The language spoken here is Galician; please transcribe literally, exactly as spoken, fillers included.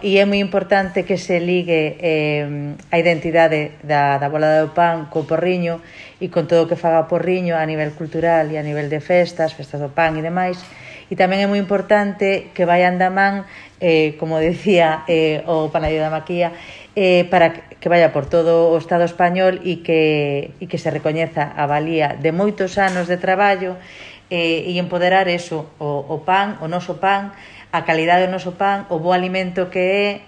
e é moi importante que se ligue eh, a identidade da, da Bola do Pan co Porriño e con todo o que faga o Porriño a nivel cultural e a nivel de festas, festas do pan e demais. E tamén é moi importante que vayan da man, eh, como decía eh, o Panadio da Maquía, eh, para que vaya por todo o Estado español e que, e que se recoñeza a valía de moitos anos de traballo eh, e empoderar eso, o, o pan, o noso pan, a calidade do noso pan, o bo alimento que é,